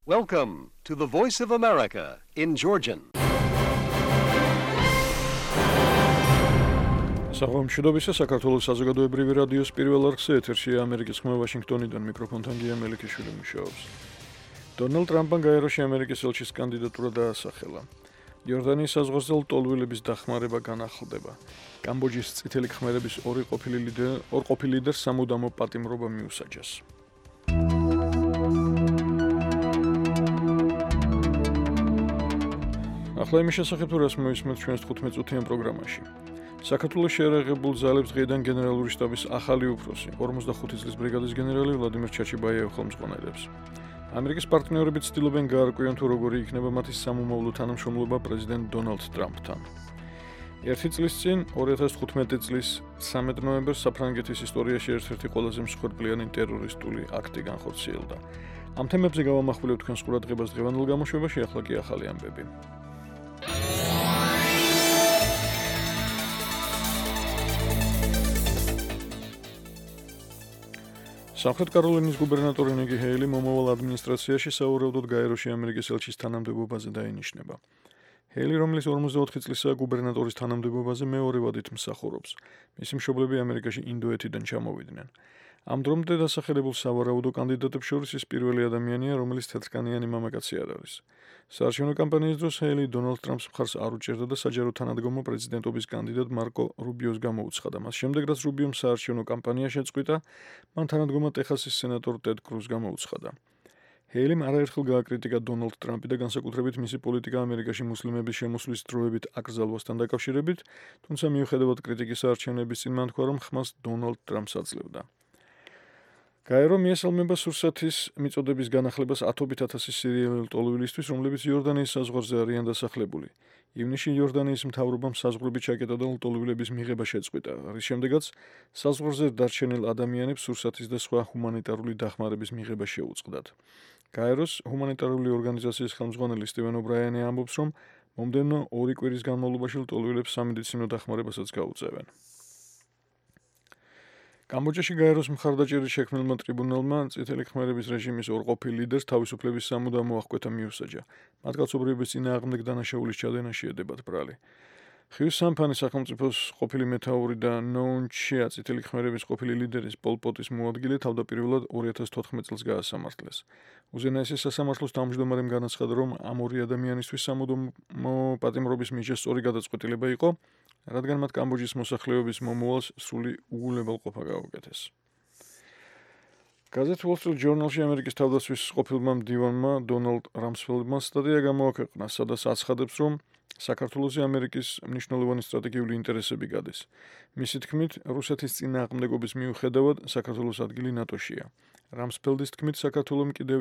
Welcome to the Voice of America in Georgian. Საღამოშიდობისა საქართველოს საზოგადოებრივი რადიოს პირველ არხზე ეთერშია ამერიკის ხმა ვაშინგტონიდან მიკროფონთან გია მელიქიშვილი მუშაობს. დონალდ ტრამპმა გაეროში ამერიკის ელჩის კანდიდატურა დაასახელა. იორდანიის საზღვარზე ლტოლვილების დახმარება განახლდება. კამბოჯის წითელი ქმერების ორ ყოფილი ლიდერს სამუდამო პატიმრობა მიუსაჯეს. ახლა იმის შესახებ თუ რას მოვისმენთ ჩვენს 15 წუთიან პროგრამაში. საქართველოს შეერაღებულ ძალებს დღეიდან გენერალური შტაბის ახალი უფროსი 45 წლის ბრიგადის გენერალი ვლადიმერ ჩაჩიბაიევი ხელმძღვანელებს. ამერიკის პარტნიორები ცდილობენ გაარკვიონ თუ როგორი იქნება მათი სამომავლო თანამშრომლობა პრეზიდენტ დონალდ ტრამპთან. ერთი წლის წინ 2015 წლის 13 ნოემბერს საფრანგეთის ისტორიაში ერთ-ერთი ყველაზე მსხვერპლიანი ტერორისტული აქტი განხორციელდა. ამ თემებზე გავამახვილებთ თქვენს ყურადღებას დღევანდელ გამოშვებაში, ახლა კი ახალი ამბები. სამხრეთ კაროლინის გუბერნატორი ნიკი ჰეილი მომავალ ადმინისტრაციაში საუბრობთ გაეროში ამერიკის ელჩის თანამდებობაზე დაინიშნება. ჰეილი, რომელიც 44 წლისაა გუბერნატორის თანამდებობაზე, მეორე ვადით მსახურობს. მისი მშობლები ამერიკაში ინდოეთიდან ჩამოვიდნენ. ამ დრომდე დასახელებულ სავარაუდო კანდიდატებს შორის ის პირველი ადამიანია, რომელიც თეთრკანიანი მამაკაცი არ არის. საარჩევნო კამპანიის დროს ჰეილი დონალდ ტრამპს მხარს არ უჭერდა და საჯარო თანადგომა პრეზიდენტობის კანდიდატ მარკო რუბიოს გამოუცხადა. მას შემდეგ, რაც რუბიომ საარჩევნო კამპანია შეწყვიტა, მან თანადგომა ტეხასის სენატორ ტედ კრუზს გამოუცხადა. ჰეილიმ არაერთხელ გააკრიტიკა დონალდ ტრამპი და განსაკუთრებით მისი პოლიტიკა ამერიკაში მუსლიმების შემოსვლის დროებით აკრძალვასთან დაკავშირებით, თუმცა მიუხედავად კრიტიკის არჩევნების წინ მან თქვა, რომ ხმას დონალდ ტრამპს აძლევდა. გაერო მიესალმება სურსათის მიწოდების განახლებას ათობით ათასი სირიელი ლტოლვილისთვის, რომლებიც იორდანიის საზღვარზე არიან დასახლებული. ივნისში იორდანიის მთავრობამ საზღვრები ჩაკეტა და ლტოლვილების მიღება შეწყვიტა, რის შემდეგაც საზღვარზე დარჩენილ ადამიანებს სურსათის და სხვა ჰუმანიტარული დახმარების მიღება შეუწყდათ. გაეროს ჰუმანიტარული ორგანიზაციის ხელმძღვანელი სტივენ ობრაიანი ამბობს, რომ მომდევნო 2 კვირის განმავლობაში ლტოლვილებს სამედიცინო დახმარებასაც გაუწევენ. კამბოჯაში გაეროს მხარდაჭერით შექმნილმა ტრიბუნალმა წითელი ქმერების რეჟიმის ორ ყოფილ ლიდერს თავისუფლების სამუდამო აღკვეთა მიუსაჯა. მათ კაცობრიობის წინააღმდეგ დანაშაულის ჩადენაში ედებათ ბრალი. ხივის სამფანი სახელმწიფოს ყოფილი მეთაური და ნოუნ ჩია წითელი ქმერების ყოფილი ლიდერის პოლ პოტის მოადგილე თავდაპირველად 2014 წელს გაასამართლეს. უზენაესი სასამართლოს თავმჯდომარემ განაცხადა, რომ ამ ორი ადამიანისთვის სამუდამო პატიმრობის მიჯა სწორი გადაწყვეტილება იყო, რადგან მათ კამბოჯის მოსახლეობის მომავალს სრული უგულებელყოფა გაუკეთეს. გაზეთ Wall Street Journal-ში ამერიკის თავდაცვის ყოფილმა მდივანმა დონალდ რამსფელდმა სტატია გამოაქვეყნა, სადაც აცხადებს, რომ საქართველოში ამერიკის მნიშვნელოვანი სტრატეგიული ინტერესები გადის. მისი თქმით, რუსეთის წინააღმდეგობის მიუხედავად საქართველოს ადგილი ნატოშია. რამსფელდის თქმით, საქართველომ კიდევ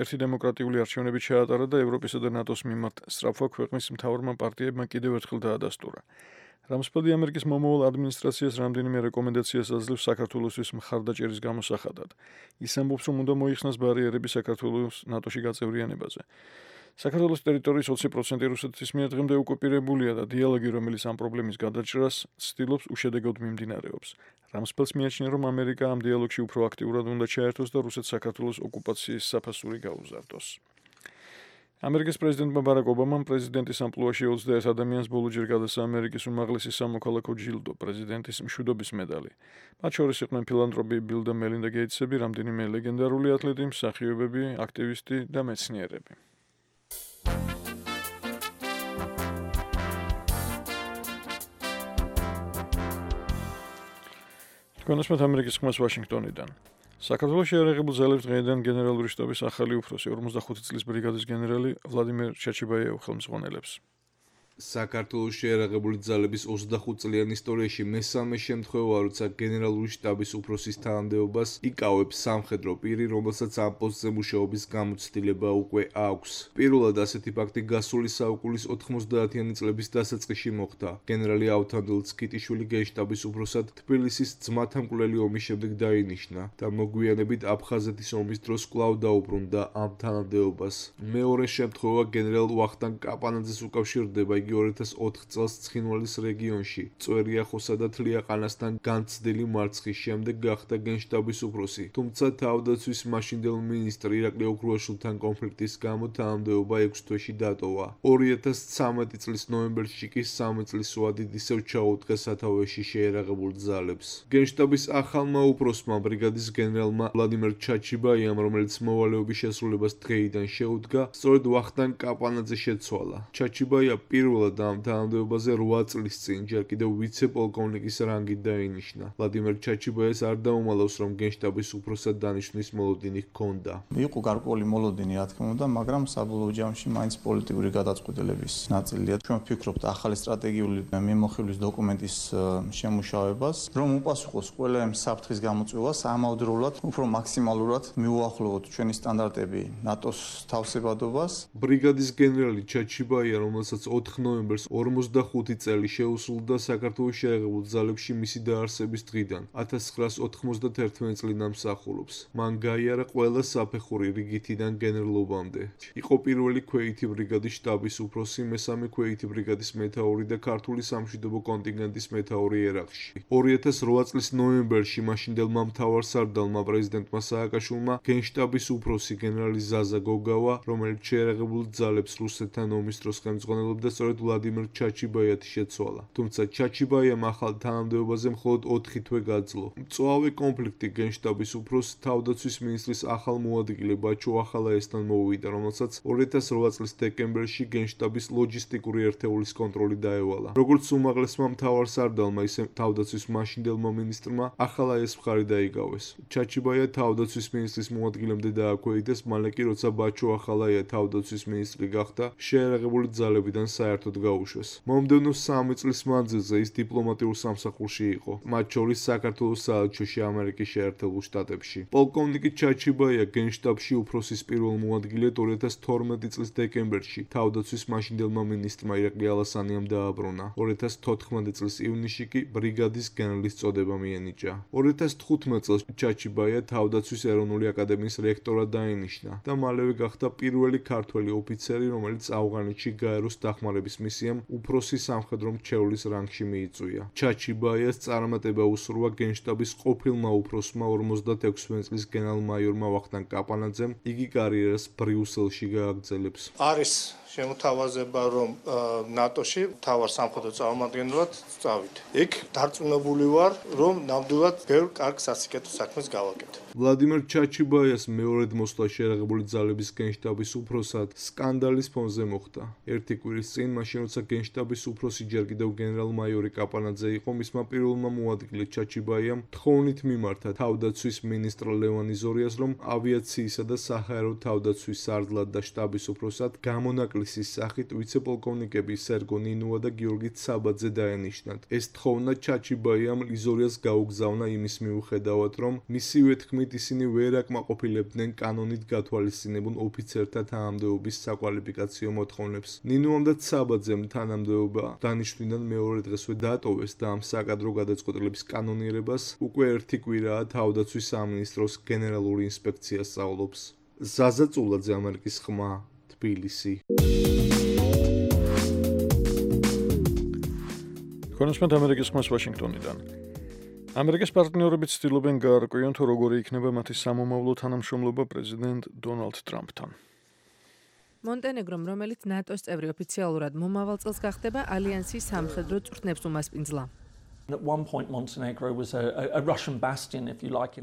ერთი დემოკრატიული არჩევნები ჩაატარა და ევროპისა და ნატოს მიმართ სწრაფვა ქვეყნის მთავრმა პარტიებმა კიდევ ერთხელ დაადასტურა. რამსფელდი ამერიკის მომავალ ადმინისტრაციას რამდენიმე რეკომენდაციას აძლევს საქართველოსთვის მხარდაჭერის გამოსახადად. ის ამბობს, რომ უნდა მოიხსნას ბარიერები საქართველოს ნატოში გაწევრიანებაზე. საქართველოს ტერიტორიის 20% რუსეთის მიერ დღემდე ოკუპირებულია და დიალოგი, რომელიც ამ პრობლემის გადაჭრას ცდილობს, უშედეგოდ მიმდინარეობს. რამსფელდს მიაჩნია, რომ ამერიკა ამ დიალოგში უფრო აქტიურად უნდა ჩაერთოს და რუსეთს საქართველოს ოკუპაციის საფასური გაუზარდოს. ამერიკის პრეზიდენტმა ბარაკ ობამამ პრეზიდენტის ამპლუაში 21 ადამიანს ბოლოჯერ გადასცა ამერიკის უმაღლესი სამოქალაქო ჯილდო, პრეზიდენტის მშვიდობის მედალი. მათ შორის იყვნენ ფილანთროპი ბილ და მელინდა გეიტსები, რამდენიმე ლეგენდარული ათლეტი, მსახიობები, აქტივისტი და მეცნიერები. თქვენასმეთ ამერიკის ხმას ვაშინგტონიდან. საქართველოს შეერაღებულ ძალებს დღეიდან გენერალური შტაბის ახალი უფროსი 45 წლის ბრიგადის გენერალი ვლადიმერ ჩაჩიბაიევი ხელმძღვანელებს. საქართველოს შეერაღებული ძალების 25 წლიან ისტორიაში მესამე შემთხვევაა, როცა გენერალური შტაბის უფროსის თანამდებობას იკავებს სამხედრო პირი, რომელსაც ამ პოსტზე მუშაობის გამოცდილება უკვე აქვს. პირველად ასეთი ფაქტი გასული საუკუნის 90-იანი წლების დასაწყისში მოხდა. გენერალი ავთანდილ ცქიტიშვილი გენშტაბის უფროსად თბილისის ძმათა მკვლელი ომის შემდეგ დაინიშნა და მოგვიანებით აფხაზეთის ომის დროს კვლავ დაუბრუნდა ამ თანამდებობას. მეორე შემთხვევა გენერალ ვახტანგ კაპანაძეს უკავშირდება. იგი 2004 წელს ცხინვალის რეგიონში წვერიახოსა და თლიაყანასთან განცდილი მარცხის შემდეგ გახდა გენშტაბის უფროსი. თუმცა თავდაცვის მაშინდელ მინისტრ ირაკლი ოქრუაშვილთან კონფლიქტის გამო თანამდებობა 6 თვეში დატოვა. 2013 წლის ნოემბერში კი 3 წლის ვადით ისევ ჩაუდგა სათავეში შეერაღებულ ძალებს. გენშტაბის ახალმა უფროსმა ბრიგადის გენერალმა ვლადიმერ ჩაჩიბაიამ, რომელიც მოვალეობის შესრულებას დღეიდან შეუდგა, სწორედ ვახტანგ კაპანაძე შეცვალა. ჩაჩიბაია პირველად ამ თანამდებობაზე 8 წლის წინ ჯერ კიდევ ვიცე-პოლკოვნიკის რანგით დაინიშნა. ვლადიმერ ჩაჩიბაიას არ დაუმალავს, რომ გენშტაბის უფროსად დანიშვნის მოლოდინი ჰქონდა. იყო გარკვეული მოლოდინი, რა თქმა უნდა, მაგრამ საბოლოო ჯამში მაინც პოლიტიკური გადაწყვეტილების ნაწილია. ჩვენ ვფიქრობთ ახალი სტრატეგიული მიმოხილვის დოკუმენტის შემუშავებას, რომ უპასუხოს ყველა ამ საფრთხის გამოწვევას, ამავდროულად უფრო მაქსიმალურად მიუახლოვოთ ჩვენი სტანდარტები ნატოს თავსებადობას. ბრიგადის გენერალი ჩაჩიბაია, რომელსაც 4 ნოემბერს 45 წელი შეუსრულდა საქართველოს შეერაღებულ ძალებში მისი დაარსების დღიდან 1991 წლიდან მსახურობს. მან გაიარა ყველა საფეხური რიგითიდან გენერლობამდე. იყო პირველი ქვეითი ბრიგადის შტაბის უფროსი, მესამე ქვეითი ბრიგადის მეთაური და ქართული სამშვიდობო კონტინგენტის მეთაური ერაყში. 2008 წლის ნოემბერში მაშინდელმა მთავარსარდალმა პრეზიდენტმა სააკაშვილმა გენშტაბის უფროსი გენერალი ზაზა გოგავა, რომელიც შეერაღებულ ძალებს რუსეთთან ომის დროს ხელმძღვანელობდა, სწორედ ვლადიმერ ჩაჩიბაიათი შეცვალა. თუმცა ჩაჩიბაიამ ახალ თანამდებობაზე მხოლოდ 4 თვე გაძლო. მწვავე კონფლიქტი გენშტაბის უფროსს თავდაცვის მინისტრის ახალ მოადგილე ბაჩო ახალაესთან მოუვიდა, რომელსაც 2008 წლის დეკემბერში გენშტაბის ლოჯისტიკური ერთეულის კონტროლი დაევალა. როგორც უმაღლესმა მთავარსარდალმა, ისე თავდაცვის მაშინდელმა მინისტრმა ახალაეს მხარი დაიგავეს. ჩაჩიბაია თავდაცვის მინისტრის მოადგილემდე დააქვეითეს, მალე კი როცა ბაჩო ახალაია თავდაცვის მინისტრი გახდა, შეერაღებული ძალებიდან საერთოდ გაუშვეს. მომდევნო 3 წლის მანძილზე ის დიპლომატიურ სამსახურში იყო, მათ შორის საქართველოს საელჩოში ამერიკის შეერთებულ შტატებში. პოლკოვნიკი ჩაჩიბაია გენშტაბში უფროსის პირველ მოადგილედ 2012 წლის დეკემბერში თავდაცვის მაშინდელმა მინისტრმა ირაკლი ალასანიამ დააბრუნა. 2014 წლის ივნისში კი ბრიგადის გენერლის წოდება მიენიჭა. 2015 წელს ჩაჩიბაია თავდაცვის ეროვნული აკადემიის რექტორად დაინიშნა და მალევე გახდა პირველი ქართველი ოფიცერი, რომელიც ავღანეთში გაეროს დახმარების მისიამ უფროსი სამხედრო მრჩევლის რანგში მიიწვია. ჩაჩიბაიას წარმატება უსურვა გენშტაბის ყოფილმა უფროსმა 56 წლის გენერალ-მაიორმა ვახტანგ კაპანაძემ, იგი კარიერას ბრიუსელში გააგრძელებს. არის შემოთავაზება, რომ ნატოში მთავარ სამხედრო წარმომადგენლად წავიდე. იქ დარწმუნებული ვარ, რომ ნამდვილად ბევრ კარგ სასიკეთო საქმეს გავაკეთებ. ვლადიმერ ჩაჩიბაიას მეორედ მოსვლა შეერაღებული ძალების გენშტაბის უფროსად სკანდალის ფონზე მოხდა. ერთი კვირის წინ, მაშინ როცა გენშტაბის უფროსი ჯერ კიდევ გენერალ-მაიორი კაპანაძე იყო, მისმა პირველმა მოადგილე ჩაჩიბაიამ თხოვნით მიმართა თავდაცვის მინისტრ ლევან იზორიას, რომ ავიაციისა და საჰაერო თავდაცვის სარდლად და შტაბის უფროსად გამონაკლისის სახით ვიცე-პოლკოვნიკები სერგო ნინუა და გიორგი ცაბაძე დაენიშნათ. ეს თხოვნა ჩაჩიბაიამ იზორიას გაუგზავნა იმის მიუხედავად, რომ მისივე თქმით ისინი ვერ აკმაყოფილებდნენ კანონით გათვალისწინებულ ოფიცერთა თანამდებობის საკვალიფიკაციო მოთხოვნებს. ნინუამ და ცაბაძემ თანამდებობა დანიშვნიდან მეორე დღესვე დატოვეს და ამ საკადრო გადაწყვეტილების კანონიერებას უკვე 1 კვირაა თავდაცვის სამინისტროს გენერალური ინსპექცია სწავლობს. ზაზა წულაძე, ამერიკის ხმა, თბილისი. ქონსმენტ ამერიკის ხმას ვაშინგტონიდან. ამერიკის პარტნიორები ცდილობენ გაარკვიონ, თუ როგორი იქნება მათი სამომავლო თანამშრომლობა პრეზიდენტ დონალდ ტრამპთან. მონტენეგრომ, რომელიც ნატოს წევრი ოფიციალურად მომავალ წელს გახდება, ალიანსის სამხედრო წვრთნებს უმასპინძლა.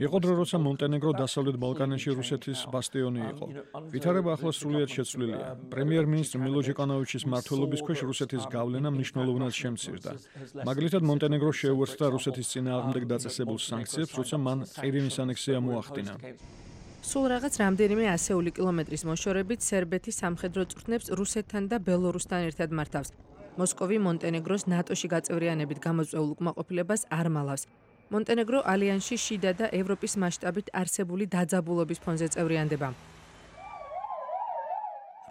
იყო დრო, როცა მონტენეგრო დასავლეთ ბალკანეთში რუსეთის ბასტიონი იყო. ვითარება ახლა სრულიად შეცვლილია. პრემიერ-მინისტრ მილო ჯეკანოვიჩის მმართველობის ქვეშ რუსეთის გავლენა მნიშვნელოვნად შემცირდა. მაგალითად, მონტენეგრო შეუერთდა რუსეთის წინააღმდეგ დაწესებულ სანქციებს, როცა მან ყირიმის ანექსია მოახდინა. სულ რაღაც რამდენიმე ასეული კილომეტრის მოშორებით სერბეთის სამხედრო წვრთნებს რუსეთთან და ბელორუსთან ერთად მართავს. მოსკოვი მონტენეგროს ნატოში გაწევრიანებით გამოწვეულ უკმაყოფილებას არ მალავს. მონტენეგრო ალიანსში შიდა და ევროპის მასშტაბით არსებული დაძაბულობის ფონზე წევრიანდება.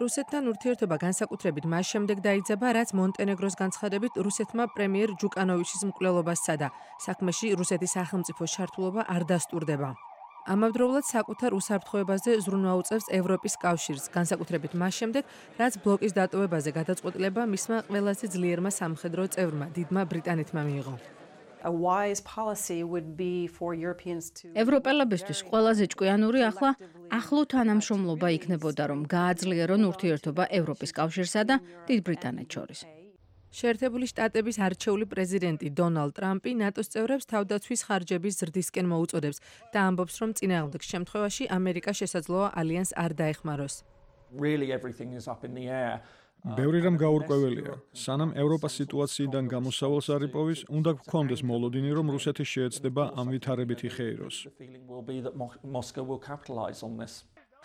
რუსეთთან ურთიერთობა განსაკუთრებით მას შემდეგ დაიძაბა, რაც მონტენეგროს განცხადებით რუსეთმა პრემიერ ჯუკანოვიჩის მკვლელობას სცადა. საქმეში რუსეთის სახელმწიფო ჩართულობა არ დასტურდება. ამავდროულად საკუთარ უსაფრთხოებაზე ზრუნვა უწევს ევროპის კავშირს, განსაკუთრებით მას შემდეგ, რაც ბლოკის დატოვებაზე გადაწყვეტილება მისმა ყველაზე ძლიერმა სამხედრო წევრმა, დიდმა ბრიტანეთმა მიიღო. ევროპელებისთვის ყველაზე ჭკვიანური ახლა ახლო თანამშრომლობა იქნებოდა, რომ გააძლიერონ ურთიერთობა ევროპის კავშირსა და დიდ ბრიტანეთს შორის. შეერთებული შტატების არჩეული პრეზიდენტი დონალდ ტრამპი ნატოს წევრებს თავდაცვის ხარჯების ზრდისკენ მოუწოდებს და ამბობს, რომ წინააღმდეგ შემთხვევაში ამერიკა შესაძლოა ალიანსს არ დაეხმაროს. ბევრი რამ გაურკვეველია. სანამ ევროპას სიტუაციიდან გამოსავალს არ იპოვის, უნდა გქონდეს მოლოდინი, რომ რუსეთი შეეცდება ამ ვითარებით იხეიროს.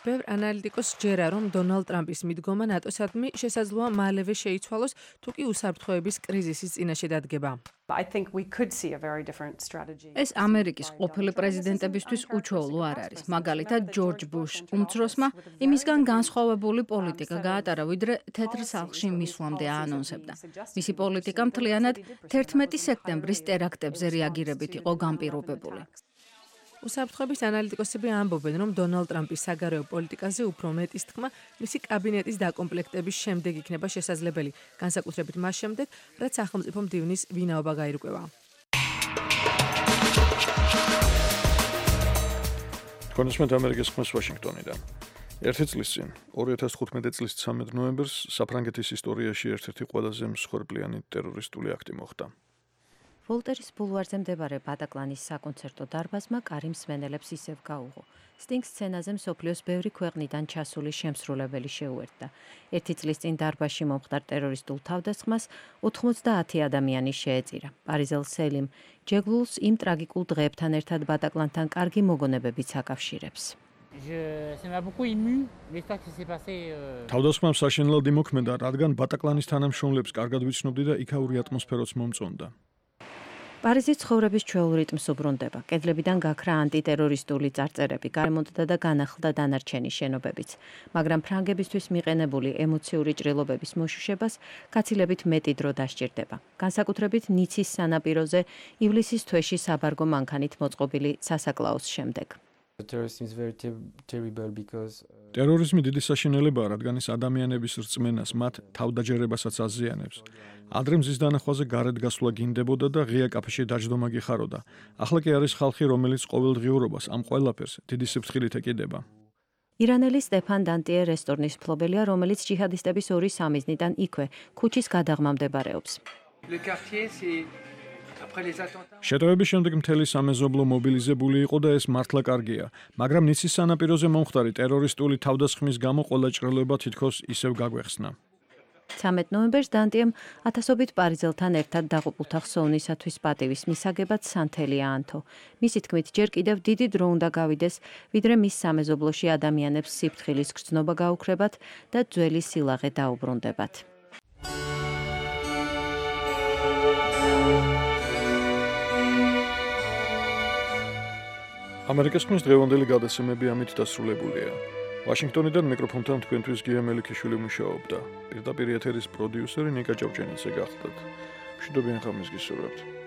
ბევრ ანალიტიკოსს ჯერა, რომ დონალდ ტრამპის მიდგომა ნატოსადმი შესაძლოა მალევე შეიცვალოს, თუ კი უსაფრთხოების კრიზისის წინაშე დადგება. ეს ამერიკის ყოფილი პრეზიდენტებისთვის უჩვეულო არ არის. მაგალითად, ჯორჯ ბუშ უმცროსმა იმისგან განსხვავებული პოლიტიკა გაატარა, ვიდრე თეთრ სახლში მისვლამდე აანონსებდა. მისი პოლიტიკა მთლიანად 11 სექტემბრის ტერაქტებზე რეაგირებით იყო განპირობებული. უსაფრთხოების ანალიტიკოსები ამბობენ, რომ დონალდ ტრამპის საგარეო პოლიტიკაზე უფრო მეტის თქმა მისი კაბინეტის დაკომპლექტების შემდეგ იქნება შესაძლებელი, განსაკუთრებით მას შემდეგ, რაც სახელმწიფო მდივნის ვინაობა გაირკვევა. კონსუმენტ ამერიკის ხმას ვაშინგტონიდან. 1 წლის წინ, 2015 წლის 13 ნოემბერს საფრანგეთის ისტორიაში ერთ-ერთი ყველაზე მსხვერპლიანი ტერორისტული აქტი მოხდა. ვოლტერის ბულვარზე მდებარე ბატაკლანის საკონცერტო დარბაზმა კარიმ მსმენელებს ისევ გაუღო. სტინგ სცენაზე მსოფლიოს ბევრი ქვეყნიდან ჩასული შემსრულებელი შეუერთდა. 1 წლის წინ დარბაზში მომხდარ ტერორისტულ თავდასხმას 90 ადამიანი შეეწირა. პარიზელ სელიმ ჯეგლულს იმ ტრაგიკულ დღეებთან ერთად ბატაკლანთან კარგი მოგონებებიც აკავშირებს. თავდასხმამ საშინლად იმოქმედა, რადგან ბატაკლანის თანამშრომლებს კარგად ვიცნობდი და იქაური ატმოსფეროც მომწონდა. პარიზის ცხოვრების ჩვეულ რიტმს უბრუნდება. კედლებიდან გაქრა ანტიტერორისტული წარწერები, გარემონტდა და განახლდა დანარჩენი შენობებიც. მაგრამ ფრანგებისთვის მიყენებული ემოციური ჭრილობების მოშუშებას გაცილებით მეტი დრო დასჭირდება. განსაკუთრებით ნიცის სანაპიროზე ივლისის თვეში საბარგო მანქანით მოწყობილი სასაკლაოს შემდეგ. ტერორიზმი დიდი საშინელებაა, რადგან ის ადამიანების რწმენას, მათ თავდაჯერებასაც აზიანებს. ადრე მზის დანახვაზე გარეთ გასვლა გინდებოდა და ღია კაფეში დაჯდომა გიხაროდა. ახლა კი არის ხალხი, რომელიც ყოველდღიურობას ამ ყველაფერს დიდი სიფრთხილით ეკიდება. ირანელი სტეფან დანტიე რესტორნის მფლობელია, რომელიც ჯიჰადისტების ორი სამიზნიდან იქვე, ქუჩის გადაღმა მდებარეობს. შეტევების შემდეგ მთელი სამეზობლო მობილიზებული იყო და ეს მართლა კარგია, მაგრამ ნიცის სანაპიროზე მომხდარი ტერორისტული თავდასხმის გამო ყველა ჭრილობა თითქოს ისევ გაგვეხსნა. 13 ნოემბერს დანტიემ ათასობით პარიზელთან ერთად დაღუპულთა ხსოვნისათვის პატივის მისაგებად სანთელი აანთო. მისი თქმით, ჯერ კიდევ დიდი დრო უნდა გავიდეს, ვიდრე მის სამეზობლოში ადამიანებს სიფრთხილის გრძნობა გაუქრებათ და ძველი სილაღე დაუბრუნდებათ. ამერიკის ხმის დღევანდელი გადაცემები ამით დასრულებულია. ვაშინგტონიდან მიკროფონთან თქვენთვის გია მელიქიშვილი მუშაობდა. პირდაპირ ეთერის პროდიუსერი ნიკა ჭავჭენიძე გახლდათ. მშვიდობიან ღამეს გისურვებთ.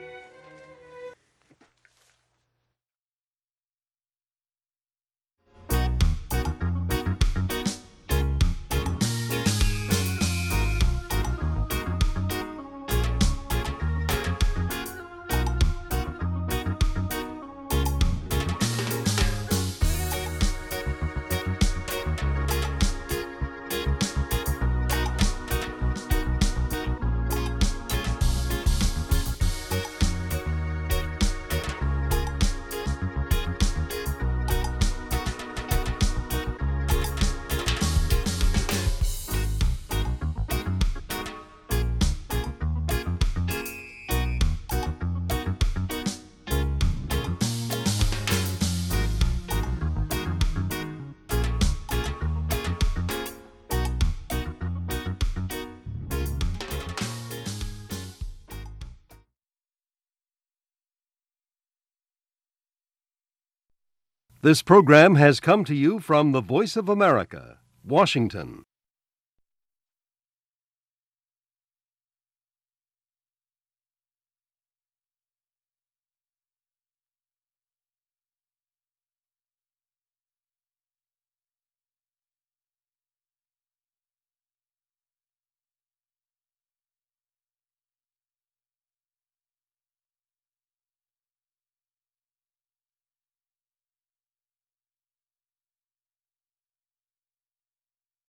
This program has come to you from the Voice of America, Washington.